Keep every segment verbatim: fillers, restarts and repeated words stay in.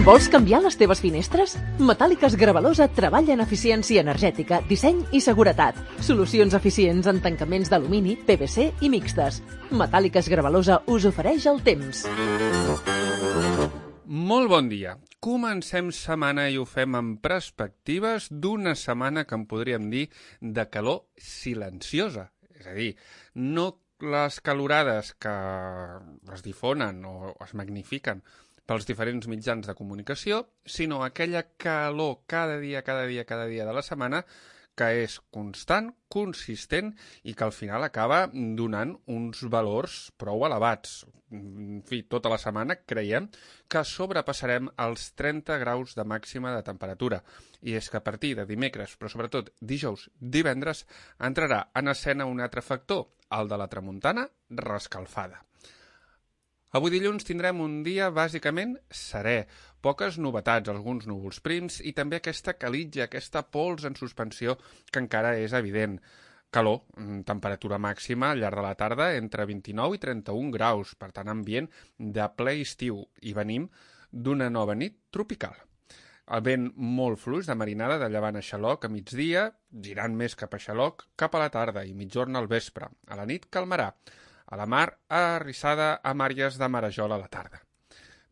Vols canviar les teves finestres? Metàl·liques Gravalosa treballa en eficiència energètica, disseny i seguretat. Solucions eficients en tancaments d'alumini, P V C i mixtes. Metàl·liques Gravalosa us ofereix el temps. Molt bon dia. Comencem setmana i ho fem amb perspectives d'una setmana que en podríem dir de calor silenciosa. És a dir, no les calorades que es difonen o es magnifiquen pels diferents mitjans de comunicació, sinó aquella calor cada dia, cada dia, cada dia de la setmana que és constant, consistent i que al final acaba donant uns valors prou elevats. En fi, tota la setmana creiem que sobrepassarem els trenta graus de màxima de temperatura. I és que a partir de dimecres, però sobretot dijous, divendres, entrarà en escena un altre factor, el de la tramuntana rescalfada. Avui dilluns tindrem un dia bàsicament serè, poques novetats, alguns núvols prims i també aquesta calitja, aquesta pols en suspensió que encara és evident. Calor, temperatura màxima al llarg de la tarda entre vint-i-nou i trenta-un graus, per tant ambient de ple estiu i venim d'una nova nit tropical. El vent molt fluix de marinada de llevant a xaloc a migdia, girant més cap a xaloc cap a la tarda i migjorn al vespre. A la nit calmarà. A la mar, arrissada amb àrees de marejol a la tarda.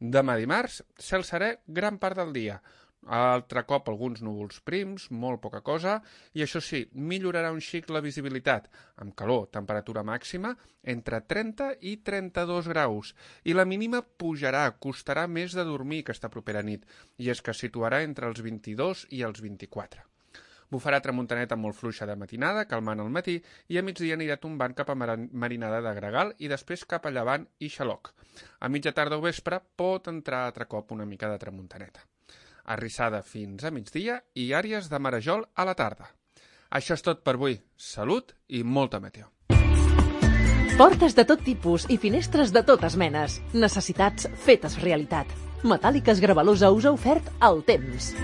Demà dimarts, cel serè gran part del dia. Altre cop alguns núvols prims, molt poca cosa, i això sí, millorarà un xic la visibilitat, amb calor, temperatura màxima, entre trenta i trenta-dos graus, i la mínima pujarà, costarà més de dormir aquesta propera nit, i és que es situarà entre els vint-i-dos i els vint-i-quatre. Bufarà tramuntaneta molt fluixa de matinada, calmant al matí, i a migdia anirà tombant cap a marinada de gregal i després cap a llevant i xaloc. A mitja tarda o vespre pot entrar altre cop una mica de tramuntaneta. Arrissada fins a migdia i àrees de marejol a la tarda. Això és tot per avui. Salut i molta meteo. Portes de tot tipus i finestres de totes menes. Necessitats fetes realitat. Metàl·liques Gravalosa us ha ofert el temps.